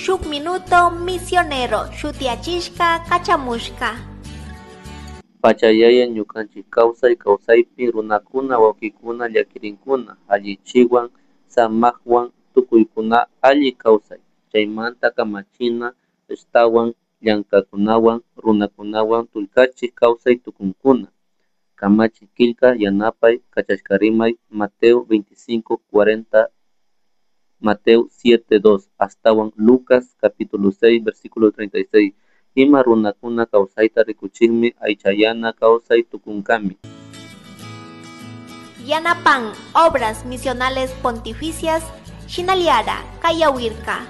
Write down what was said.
Shuk Minuto Misionero shutiyachishka kachamushka. Pachayaya ñukanchik kawsay kawsaypi runakuna wawkikuna llakirinkuna allichiwan samakwan tukuykuna alli kawsay chaymanta kamachina ashtawan llankakkunawan runakunawan tullkachik kawsay tukunkuna. Kamachi killka yanapay kachashkarimay Mateo 25:40, Mateo 7:2 ashtawan Lucas capítulo 6 versículo 36 ima runakuna kawsayta rikuchikmi aychayana kawsay tukunkami. Yanapan Obras Misionales Pontificias Shinaliara Kayawirka.